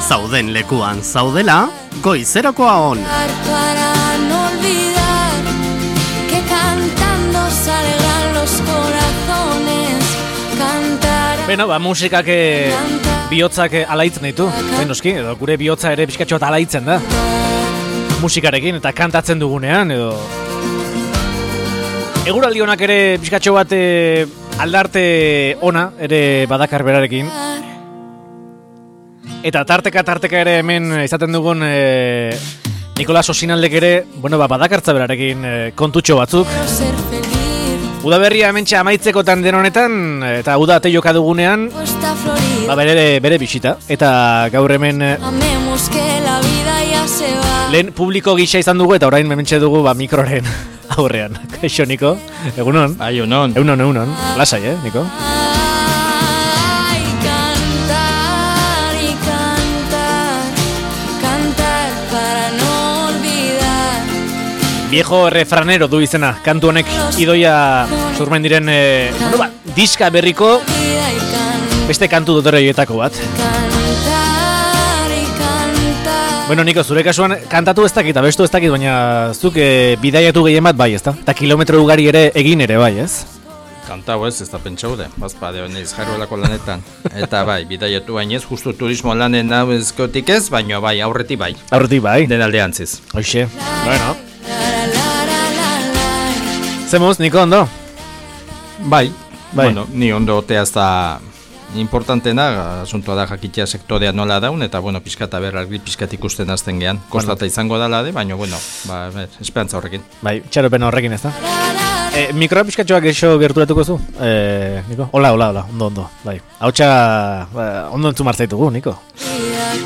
zauden lekuan zaudela, goizerokoa on. Para no olvidar que cantando salgan los corazones, cantar. Beno, musikak bihotzak alaitzen ditu, benoski, edo gure bihotza ere pixkatxo bat alaitzen da. Musikarekin eta kantatzen dugunean, edo... Eguraldi honak ere pixkatxo bat aldarte ona ere badakar berarekin. Eta tarteka ere hemen izaten dugun Nikolas Osinaldek ere, badakartza berarekin kontutxo batzuk. Udaberria hementxe amaitzekotan den honetan, eta uda ateioka dugunean, bere bisita. Eta gaur hemen lehen publiko gisa izan dugu, eta orain hementxe dugu mikroren aurrean. Kaixo, Niko? Egunon? Bai, egunon. Egunon. Lasai, Niko? Viejo refranero du izena, kantu honek idoia zurmen diren diska berriko beste kantu dotoreetako bat. Bueno, Niko, zure kasuan kantatu ez dakit, abestu ez dakit, baina zuk bidaiatu gehien bat bai, ezta? Eta kilometro ugari ere egin ere bai, ez? Kantau ez da pentsaude, bazpade honez jarruelako lanetan. Eta bai, bidaiatu bainez, justu turismo lanen hau ezkotik ez, baina bai, aurretik bai. Aurretik bai? Den aldeantziz. Hoxe, bueno. Zemuz, Niko, ondo? Bai. Bueno, ni ondo oteaz da importantena, asuntoa da jakitea sektorea nola daun, eta, pixkat aberrarri pixkat ikusten azten gehan. Kostata izango dala de, baina, esperantza horrekin. Bai, txaropen horrekin ez da. Mikroa pixkatxoak eixo gerturatuko zu, Niko? Hola, ondo, bai. Hautsa, ondo entzu martzaitugu, Niko.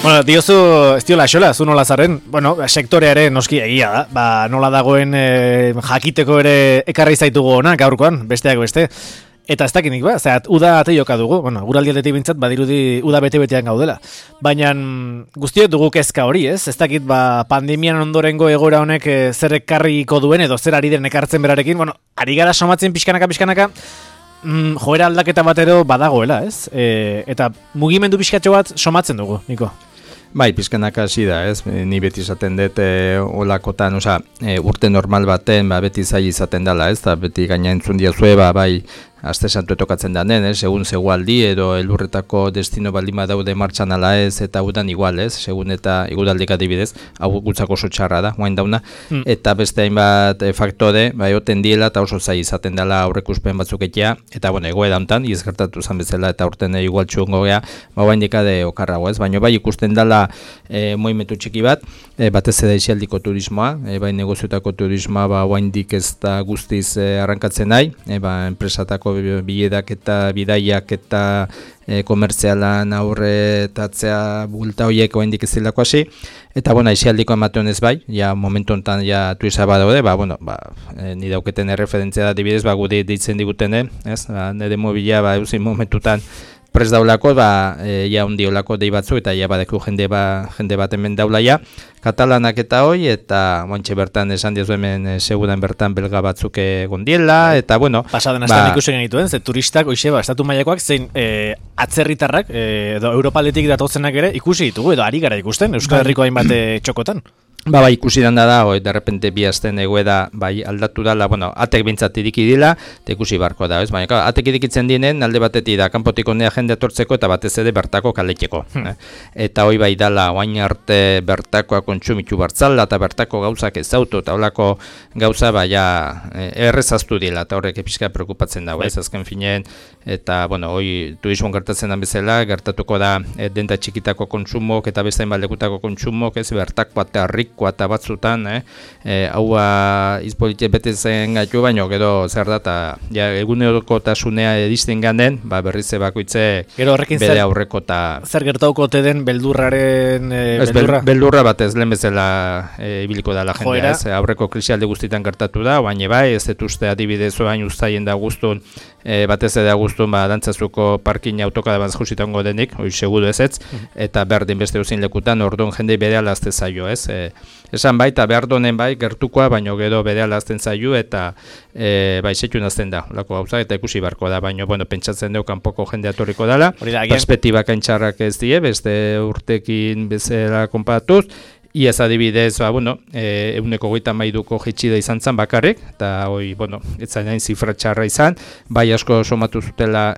Bueno, diozu, ez diola xola, zu nola zarren, sektorea ere noski egia da, nola dagoen jakiteko ere ekarri zaitugu ona gaurkoan, besteak beste. Eta ez dakinik uda ateioka dugu, guraldi aldetik bintzat, badirudi uda bete-betean gaudela. Baina guztiot dugu kezka hori, ez? Ez dakit pandemian ondorengo egoera honek zer ekarriko duen edo zer ari den ekartzen berarekin, ari gara somatzen pixkanaka, joera aldaketa bat edo badagoela, ez? Eta mugimendu pixkatxo bat somatzen dugu, Niko. Bai, pizkanaka hasi da, ez? Ni beti izaten dut olakotan, urte normal baten, beti zai izaten dela, ez? Da beti gaina entzun diazue, bai, aste santu etokatzen danen, segun zegoaldi edo elurretako destino baldin badaude martxan ala ez, eta udan igual, ez? Segun eta igudaldik adibidez, hau gutzako oso txarra da, guain dauna, eta beste hainbat faktore, bai, oten diela, eta oso zai izaten dela aurrekuspen batzuk etea, eta, egoera hontan, izgertatu zan bezala, eta urten igual txungo gea, guain dikade okarrago, ez? Baina bai ikusten dela moimetu txiki bat, batez eda isialdiko turismoa, bai negoziotako turismoa, guain dik ez da guztiz arrankatzen nahi, enpresatako biledak eta bidaiak eta komertzialan aurretatzea bulta horiek oendik ez dilako hasi. Eta, isialdiko ematen ez bai, momentu honetan tuisa badaude, ni dauketen erreferentzia da dibidez, gude ditzen digutene, ez? Nire mobila, eusin momentutan prez daulako, ondi olako dei batzu, eta badeku jende bat hemen daula katalanak eta hoi, eta montxe bertan esan diozu hemen seguran bertan belga batzuk gondiela, eta pasaden astan ikusen genituen, ze turistak, estatu mailakoak, zein atzerritarrak, edo Europaletik datozenak ere ikusi ditugu, edo ari gara ikusten, Euskal Herriko hainbat txokotan. Ikusi danda da, derrepente bi azten egoeda aldatu dala, atek bintzat iriki dila, eta ikusi barko da, ez? Baina, atek irikitzen dinen, alde batetik da, kanpotik honea jende atortzeko eta batez ere bertako kaleteko. Eta hoi bai dala, oain arte bertakoa kontsumitu bartzala, eta bertako gauzak ezautu, eta holako gauza, errezaztu dila, eta horrek epizka preokupatzen dago, ez? Azken finean, eta, hoi turismoan gertatzen den bezala, gertatuko da, denta txikitako kontsumok, eta beste hainbaldekutako kontsumok, ez? Bertako eta eta batzutan, haua izpolitie bete zen gaitu, baino gero zer da, eta egunerokotasunea edizten ganden, berriz bakoitze bere aurreko eta... Zer gertauko te den beldurraren... Beldurra batez, lehen bezala ibiliko da la jendea, ez? Aurreko krisialde guztietan gertatu da, baina bai, ez dut uste adibidez oain ustaien da guztun, batez eda guztun, dantzazuko parkin autokada bat jusitango denik, hori seguru ez, eta berdin beste uzin lekutan, orduan jende bere alazte zaio, ez? esan baita behar donen bai, gertukoa, baino gero berehala azten zaiu, eta bai, setxun azten da, lako gauzak, eta ikusi barko da, baino, bueno, pentsatzen deu kanpoko jende atorriko dela, perspektibak aintxarrak ez die, beste urtekin bezala konparatuz, Iaz adibidez, bueno, 132ko jitxida izan zen bakarrik, eta hoi, bueno, etzan hain zifra txarra izan, bai asko somatu zutela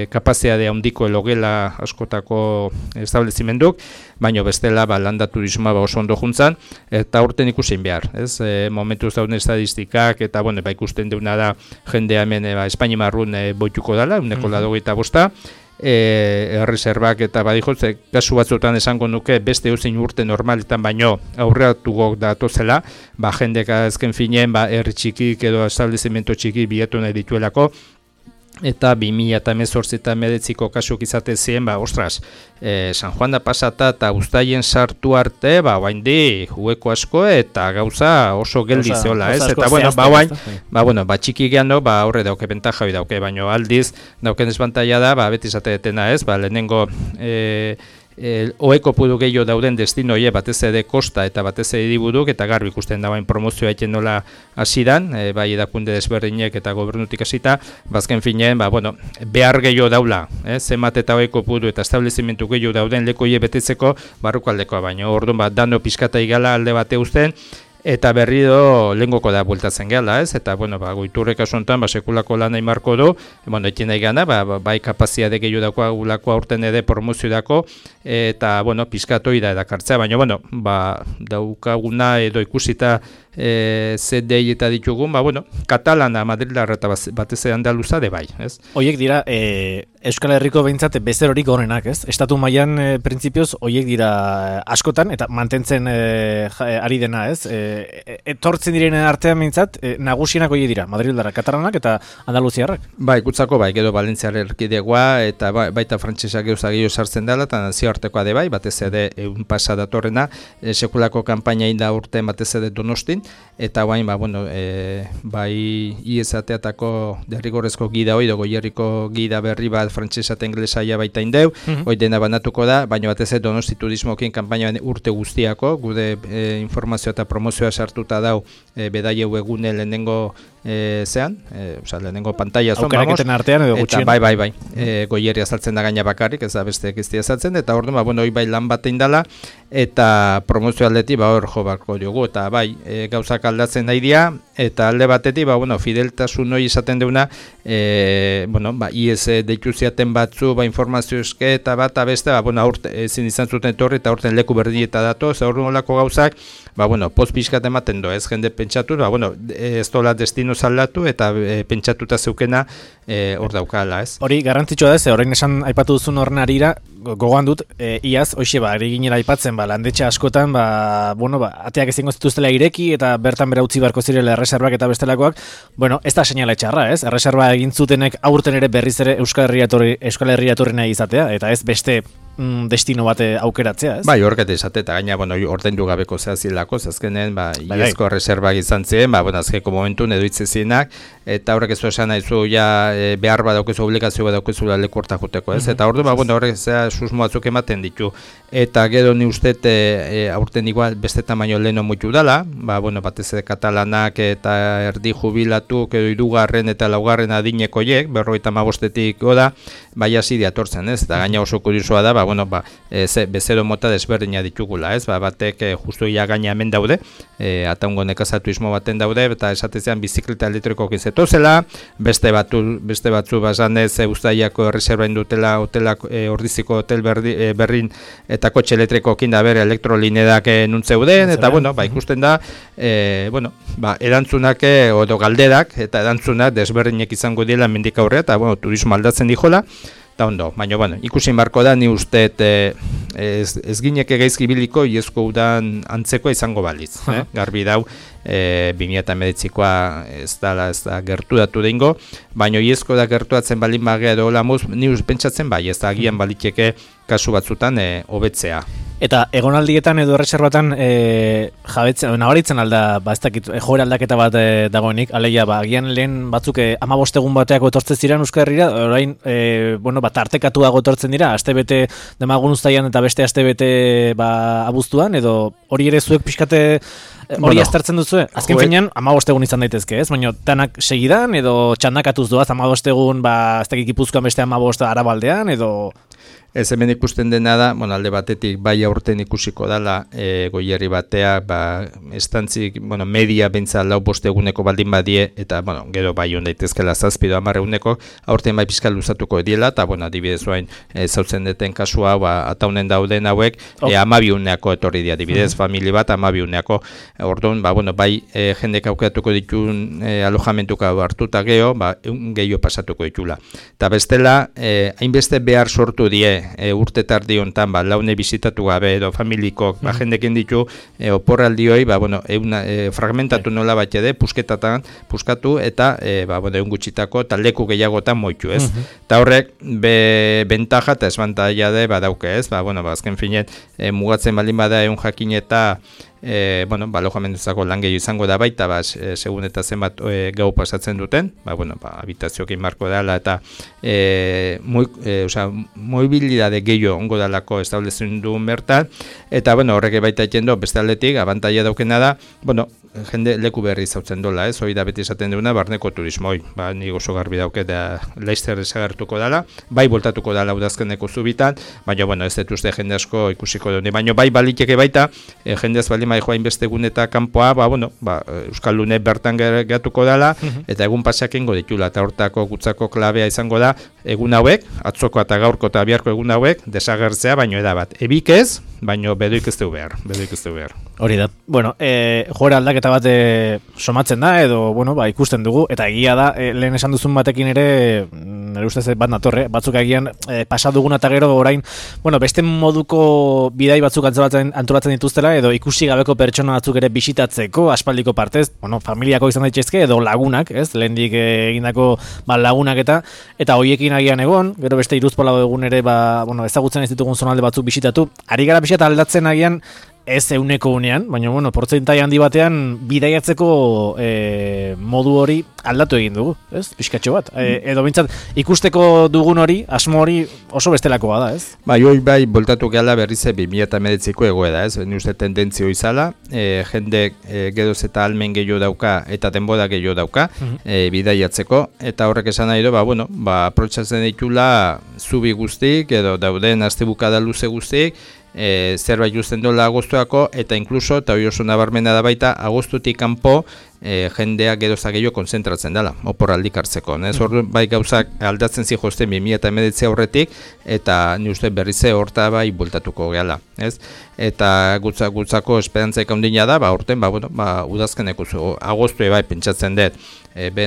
kapazitate handiko logela askotako establezimenduk, baino bestela landa turismoa oso ondo juntzan, eta urten ikusin behar, ez? Momentuz dauden estadistikak, eta bueno, ikusten deuna da jendea hemen Espainia marrun boituko dela, 185, erreserbak eta badijotze, kasu batzutan esango nuke beste eusin urte normaletan baino aurreatugok datozela, jendek azken finen, herri txikik edo establezimento txiki bilatu nahi dituelako, eta 2018 eta 2019ko kasuk izate ziren, ostras, San Juan da pasata eta Uztaien sartu arte, oaindi hueko asko eta gauza oso geldi zeola, ez? Eta bueno, txiki geano, horre dauke bentaja hori dauke, baino aldiz dauken desbantaia da, beti izate detena, ez? Lehenengo oeko pudu gehiago dauden destinoie batez ere kosta eta batez ere hiriburuk eta garbi ikusten dagoen promozioa egiten nola hasidan, bai edakunde desberdinek eta gobernutik hasita, bazken finean, behar gehiago daula, zenbat eta oeko pudu eta establezimentu gehiago dauden lekoie betetzeko barrukaldekoa, baino orduan dano pizkata igala alde bate uzten, eta berriro lehengoko da bueltatzen gela, ez? Eta, goiturrek asuntan, sekulako lan nahi marko du, ekin nahi gana, bai kapazitate gehiago dagoa aurten ere promozio dako, eta, pizkatoi da edakartzea, baina, daukaguna edo ikusita ZDI eta ditugun, katalana, madrilarra eta batez andaluza de bai, ez? Hoiek dira, Euskal Herriko behintzat bezerorik honenak, ez? Estatu mailan printzipioz, hoiek dira askotan, eta mantentzen ari dena, ez? Etortzen direnen artean behintzat, nagusienak hoiek dira, madrilarra, katalanak eta andaluziarrak? Ikutzako edo Valentziar erkidegoa, eta baita frantsesak gehiago sartzen dela, eta nazioartekoa de bai, batez ere egun pasa datorrena, sekulako kanpaina inda urte batez ere Donostin, eta guain, bai IESateatako derrigorrezko gida hoi, goierriko gida berri bat frantsesa eta inglesaia baita indeu, hoi dena banatuko da, baina batez ez Donosti turismokin kanpaina urte guztiako, gude informazioa eta promozioa sartuta dau bedaieu egune lehenengo lehenengo pantalla zon, aukeraketen artean edo gutxien. Bai, goierri azaltzen da gaina bakarrik, ez da beste ekiztia azaltzen, eta orduan, hoi bai lan bat indala, eta promozio aldetik, hor jo barko diogu, eta bai, gauzak aldatzen nahi dira, eta alde batetik, fideltasun hori izaten deuna, IES deitu ziaten batzu, informazio eske, eta bat, beste, ezin izan zuten torri, eta horten leku berdin eta dato, ez orduan olako gauzak, post pixkat ematen do, ez jende pentsatu, ez dola destino zaldatu, eta pentsatuta zeukena hor daukala, ez? Hori, garrantzitsua da, orain esan aipatu duzun horren arira, gogoan dut, iaz, hoxe, eri ginela aipatzen, landetxe askotan, ateak ezingo zituztela ireki, eta bertan bera utzi barko zirela erreserbak eta bestelakoak, ez da seinala txarra, ez? Erreserba egin zutenek aurten ere berriz ere Euskal Herria etorri nahi izatea, eta ez beste destino bate aukeratzea, ez? Bai, horret esate, eta gaina, ordaindu gabeko zehazilako, azkenen, iezko erreserbak izan ziren, azkeko momentun edo itzezienak, eta horrek ez esan nahizu, behar bat daukezu, obligazio bat daukezu leku horta juteko, ez? Eta orduan, horrek susmoatzuk ematen ditu, eta gero ni uste aurten igual beste tamaino leheno muitu dala, batez katalanak eta erdi jubilatuk edo hirugarren eta laugarren adinekoiek, 55-etik goda, bai hasi diatortzen, ez? Eta gaina oso kuriosoa da, bezero mota desberdina ditugula, ez? Batek justu ia gaina hemen daude, ataungo nekazatuismo baten daude, eta esatezean bizikleta elektrikoak izetozela, beste batzu basanez Uztaiako erreserba indutela ordiziko hotel berrin eta kotxe elektrikoekin da bere elektrolinedak nuntzeuden, eta ikusten da, erantzunak edo galderak, eta erantzunak desberdinek izango dira mendik aurrea, eta turismo aldatzen dijola, eta ondo, baina, ikusin barko da, ni uste ez gineke gaizki biliko, iezko udan antzekoa izango baliz. Garbi dau, 2019koa ez da gerturatu dengo, baina iezko da gerturatzen balin bagea edo hola muz, ni pentsatzen bai, ez da agian baliteke kasu batzutan hobetzea. Eta egonaldietan edo erreserbatan jabetzen, nabaritzen alda, ez dakit, joera aldaketa bat dagoenik, alegia, agian lehen batzuk 15 egun bateako etortzen ziren Euskal Herrira, orain, tartekatuago etortzen dira, astebete demagun uztaian eta beste astebete abuztuan, edo hori ere zuek pixkate hori aztertzen duzue? Azken finean, 15 egun izan daitezke, ez? Baina danak segidan, edo txandakatuz doaz, 15 egun, ez dakit Gipuzkoan beste 15 Arabaldean, edo... Ez hemen ikusten dena da, alde batetik bai aurten ikusiko dala Goierri batea, estantzik, media bentsa 4-5 eguneko baldin badie, eta, gero bai hon daitezkela 7 edo 10 eguneko, aurten bai pizkal luzatuko ediela, eta, adibidez oain, zautzen deten kasua, ataunen dauden hauek, 12 eguneako etorri dia, adibidez, famili bat 12 eguneako, orduan, bai jendek aukeratuko ditun alojamentuka hartuta geho, gehiago pasatuko ditula. Eta bestela, hainbeste behar sortu die, urte tardi hontan laune bizitatu gabe edo familikok jendekin ditu oporraldioi fragmentatu nola bat ede puskatu eta egun gutxitako eta leku gehiagotan moitu, ez? Eta horrek bentaja eta esbantaia de badauke, ez? Azken finet mugatzen baldin bada egun jakin eta alojamenduzako lan gehiago izango da baita, segun eta zenbat gau pasatzen duten, habitazioekin marko dela eta mobilidade gehiago ongo dalako establezen duen bertan, eta horrek baita etxendo, beste aldetik, abantaia daukena da, jende leku berri zautzen dola, ez? Hoi da beti esaten duguna, barneko turismoi, nik oso garbi dauke da Laizter desagertuko dala, bai voltatuko dala udazkeneko zubitan, baina ez dut uste jende asko ikusiko dune, baina bai baliteke baita, jende ez bali joain beste egun eta kanpoa, Euskal Lune bertan gatuko dela, eta egun pasak ingo ditula, eta hortako gutzako klabea izango da, egun hauek, atzoko eta gaurko eta biharko egun hauek, desagertzea, baino edabat. Ebik ez, baino bedoik ez du behar. Hori da. Joera aldaketa bat somatzen da, edo, ikusten dugu, eta egia da, lehen esan duzun batekin ere, nire ustez bat natorre, batzuk agian pasaduguna eta gero orain, beste moduko bidai batzuk antolatzen dituztela, edo ikusi gabeko pertsona batzuk ere bisitatzeko, aspaldiko partez, familiako izan daitezke, edo lagunak, ez, lehendik egindako lagunak eta hoiekin agian egon, gero beste iruzpola egun ere, ezagutzen ez ditugun zonalde batzuk bisitatu, ari gara bisita aldatzen agian, ez euneko unean, baina, portzentai handi batean bidaiatzeko modu hori aldatu egin dugu, ez? Pixkatxo bat. Edo bintzat, ikusteko dugun hori, asmo hori oso bestelakoa da, ez? Bai, boltatu gehala berrize 2019ko egoeda, ez? Ni uste tendentzio izala, jendek geroz eta almen gehiago dauka eta denbora gehiago dauka bidaiatzeko, eta horrek esan nahi du, aprotxatzen ditula zubi guztik, edo dauden astebukada luze guztik, zerbait justen dola agostuako, eta inkluso, eta hori oso nabarmena da baita, agostutik kanpo jendea geroza gehiago konzentratzen dela, oporraldik hartzeko. Orduan bai gauzak aldatzen zijosten 2019 aurretik, eta ni uste berrize horta bai bultatuko gehala. Eta gutzako esperantzaik handina da, horten, udazkeneko agostu bai pentsatzen dut,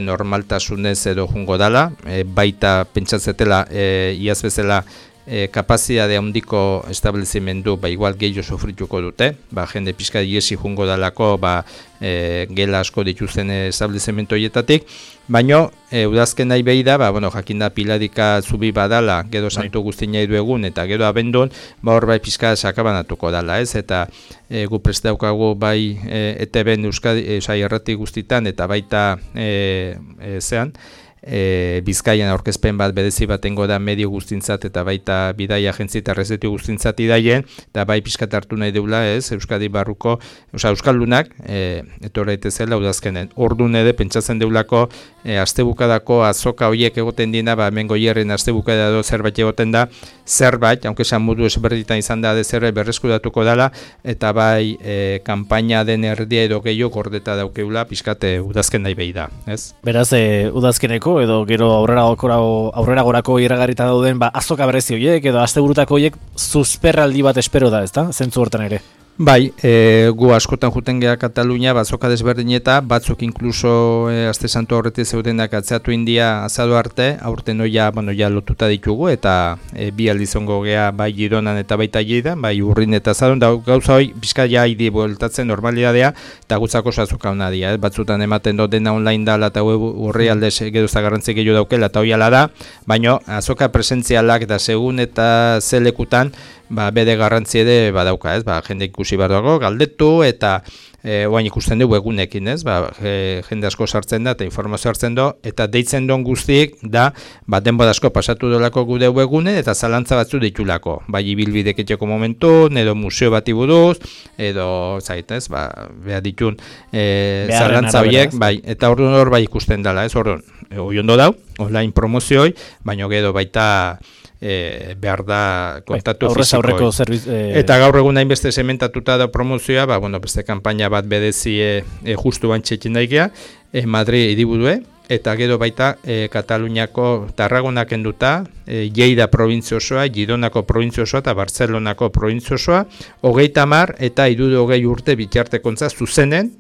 normaltasunez edo jungo dela, baita pentsatzetela iaz bezala kapazidade handiko establezimendu igual gehiago sofrituko dute, jende pixka iesi jungo dalako gela asko dituzten establezimendu horietatik, baina udazken nahi behi da, jakinda piladika zubi badala, gero santu guzti nahi du egun, eta gero abendun, hor pixka sakabanatuko dala, ez? Eta gu prest daukagu bai ETB-en Euskadi errati guztitan, eta baita zean, Bizkaian aurkezpen bat berezi batengo da medio guztintzat eta baita bidai agentzi eta rezetu guztintzat idaien, eta bai pixkat hartu nahi deula, ez, Euskadi barruko, Euskaldunak, etorra etezela udazkenen. Ordun ere pentsatzen deulako astebukadako azoka horiek egoten dina, hemen Goierren astebukada edo zerbait egoten da, zerbait, aunque esan modu ezberditan izan da zerbait berreskuratuko dela, eta bai kanpaina den erdia edo gehiago gordeta daukeula pixkat udazken nahi behi da, ez? Beraz, udazkeneko edo gero aurrera gorako iragarrita dauden azoka berezi horiek edo asteburutako horiek susperraldi bat espero da, ezta? Zentzu hortan ere. Bai, gu askotan juten geha Katalunia, azoka desberdineta, batzuk inkluso aste santu horretik zeudenak atzeatu india azado arte, aurten ja lotuta ditugu, eta bi aldizongo geha bai Gironan eta baita Lleidan, bai Urrin eta Azadon, da gauza hori pixka ja idi bueltatzen normalidadea, eta gutzako azoka hona dira, batzutan ematen dut dena online dala eta urri aldez geroza garrantzi gehiago daukela, eta hori ala da, baina azoka presentzialak da segun eta zelekutan, bere garrantzi ere badauka, ez? Jende ikusi behar dago, galdetu eta oain ikusten dugu egunekin, ez? Jende asko sartzen da eta informazio hartzen du eta deitzen duen guztiek da denbora asko pasatu dolako gure webgune eta zalantza batzu ditulako. Bai ibilbidek etxeko momentu, edo museo bati buruz, edo zait, ez? Behar ditun zalantza horiek, bai, eta orduan hor bai ikusten dela, ez? Orduan, hori ondo dau, online promozioi, baina gero baita behar da kontatu fizikoi. Eta gaur egun hainbeste sementatuta da promozioa, beste kanpaina bat bedezi justu bantxekin daigea, Madrid hiriburue, eta gero baita Kataluniako Tarragonak enduta, Lleida provintzia osoa, Gironako provintzia osoa eta Barcelonako provintzia osoa, 30 eta 60 urte bitartekontza zuzenen,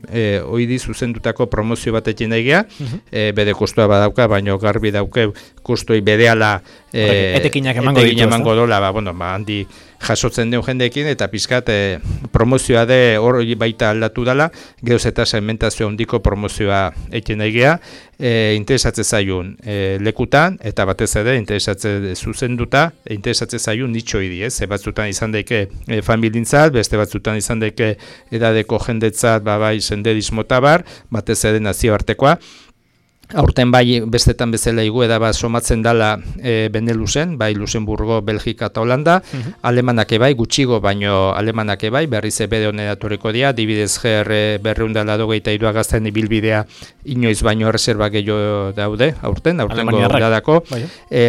oidi zuzendutako promozio batekin daigea, bere kostua badauka, baina garbi dauke kostui berehala etekinak emango dola, handi jasotzen den jendeekin, eta pizkat promozioa de hori baita aldatu dela, geroz eta segmentazio handiko promozioa ekin daigea, interesatzen zaiun lekutan, eta batez ere interesatzen zuzenduta, interesatzen zaiun nitxoi di, ez? Batzutan izan daike familintzat, beste batzutan izan daike edadeko jendetzat, bai senderismo tabar, batez ere nazioartekoa. Aurten bai bestetan bezala igueda somatzen dala Beneluxen, bai Luxemburgo, Belgika eta Holanda, alemanak bai, gutxigo baino alemanak bai, berriz bere honera etorriko dira, dibidez GR 283 gazten ibilbidea inoiz baino reserva gehiago daude, aurten godadako,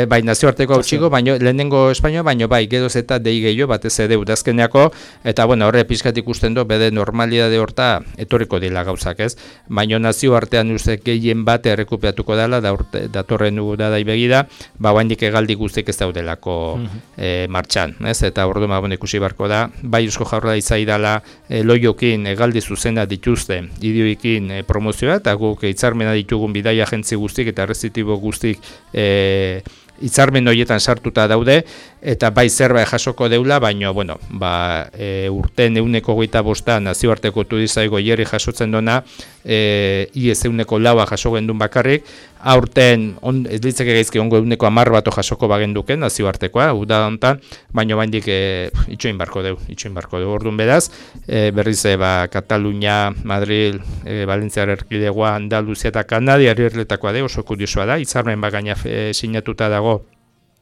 bai nazioarteko gutxigo, baino lehenengo Espainioa, baino bai geroz eta dei gehiago batez ere udazkeneako, eta horre pizkat ikusten du, bere normalidade horta etorriko dira gauzak, ez? Baino nazioartean uste gehien bat errekuperatuko dela, datorren da begida, oraindik hegaldi guztiek ez daudelako martxan, ez? Eta orduan ikusi beharko da, bai Eusko Jaurlaritza idala loiokin hegaldi zuzena dituzte idioekin promozioa, eta guk hitzarmena ditugun bidaia agentzi guztik eta errezitibo guztik hitzarmen horietan sartuta daude, eta bai zerbait jasoko deula, baina, urten 125 nazioarteko turizaigo hierri jasotzen dona, iez 104 jaso gendun bakarrik, aurten, ez ditzake gaizki ongo 110 bato jasoko bagenduken nazioartekoa, uda hontan, baina baindik itxoin barko deu, orduan beraz, berriz Katalunia, Madrid, Valentziar erkidegoa, Andaluzia eta Kanadia herrietakoa de, oso kuriosoa da, hitzarmen gaina sinatuta dago,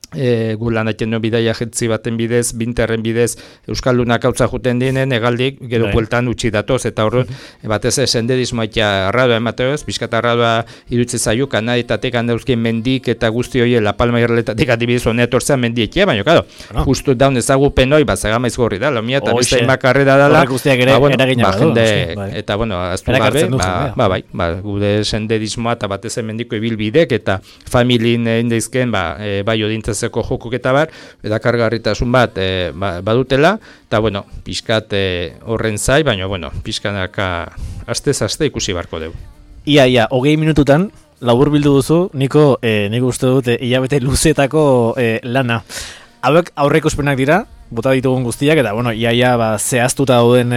gu lan aiten no bidaia agentzi baten bidez, Binterren bidez, Euskaldunak hautza juten dienen, egaldik, gero bueltan utzi datoz, eta horren, batez senderismoa eta arradoa emateoz, pixkat arradoa irutze zaio, kanaditatek handauzkien mendik eta guzti hori La Palma irreletatik adibidez honea tortzea mendiekia, baina, claro, justu daun ezagupen hori, zagamaiz gorri da, lomia, eta beste makarre da dela, eta, aztu gabe, gude senderismoa eta batez mendiko ibilbidek, eta familien indeizken, bai odintzeko jokuk eta bar, eta kargarritasun bat badutela, eta pixkat horren zai, baina pixkanaka astez-aste ikusi barko dugu. Ia, 20 minututan, labur bildu duzu, nik uste dut hilabete luzetako lana. Hauek aurreikuspenak dira, bota ditugun guztiak, eta iaia zehaztuta dauden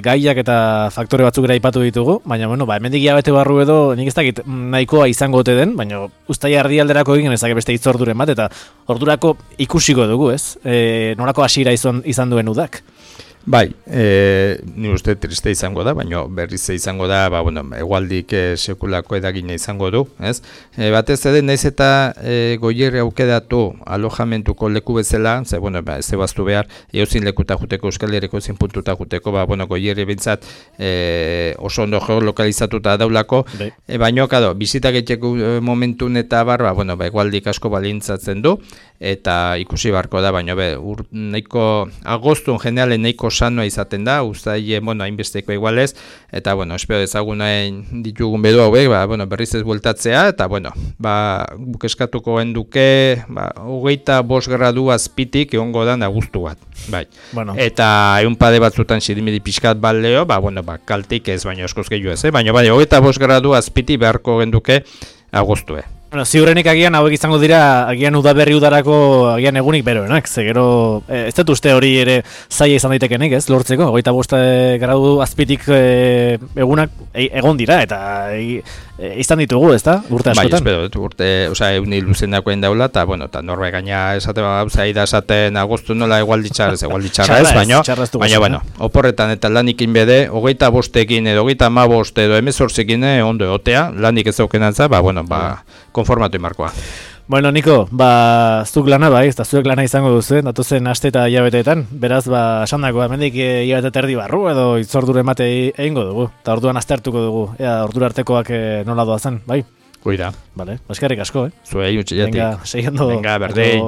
gaiak eta faktore batzuk ere aipatu ditugu, baina hemendik hilabete barru edo nik ez dakit nahikoa izango ote den, baina uztaila erdialderako egin ezak beste hitzorduren bat, eta ordurako ikusiko dugu, ez? Nolako hasiera izan duen udak? Bai, ni uste triste izango da, baina berriz izango da, egualdik sekulako edagina izango du, ez? Batez ere, naiz eta goierri aukedatu alojamentuko leku bezala, ez ebaztu behar, eozin lekuta juteko, Euskal Herriko ezin puntuta juteko, goierri bintzat oso ondo geolokalizatuta daulako, baina, bizitak etxeko momentun eta bar, egualdik asko balintzatzen du, eta ikusi barko da, baina, nahiko agostun generalen nahiko sanoa izaten da, uztaile, hainbesteko igualez, eta, espero dezagunain ditugun bedu hauek, berriz ez bueltatzea, eta, guk eskatuko genduke, 25 gradu azpitik egongo da nagustu bat, bai. Eta egun pade batzutan sirimiri pixkat baleo, kaltik ez, baina eskoz gehiago ez, baina 25 gradu azpitik beharko genduke agostue. Bueno, ziurrenik agian hauek izango dira, agian udaberri udarako agian egunik beroenak, ze gero, ez dut uste hori ere zaila izan daitekenik, ez, lortzeko, 25 gradu azpitik egunak egon dira, eta izan ditugu, ez da, urte askotan? Bai, espero, urte, oza, euni luzenakoen daula, eta, bueno, eta norbe gaina esate zaida esaten agostu nola egualditxarra ez, baina, bueno, oporretan eta lanik inbede, 25ekin edo 35 edo 18ekin ondo egotea, lanik ez aukenantza, bueno, konformatu imarkoa. Bueno, Niko, zuk lana bai, eta zuek lana izango duzu, datozen aste eta hilabeteetan, beraz, esandakoa, hemendik hilabete terdi barru edo itzordure emate egingo dugu, eta orduan aztertuko dugu, ea ordura artekoak nola doazen, bai? Goira. Vale, eskerrik asko, Zuei utxiletik. Venga, seiendo. Venga, berdei.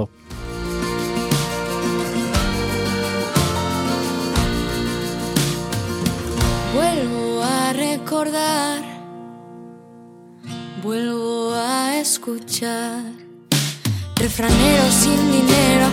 Vuelvo a recordar, vuelvo a escuchar refraneros sin dinero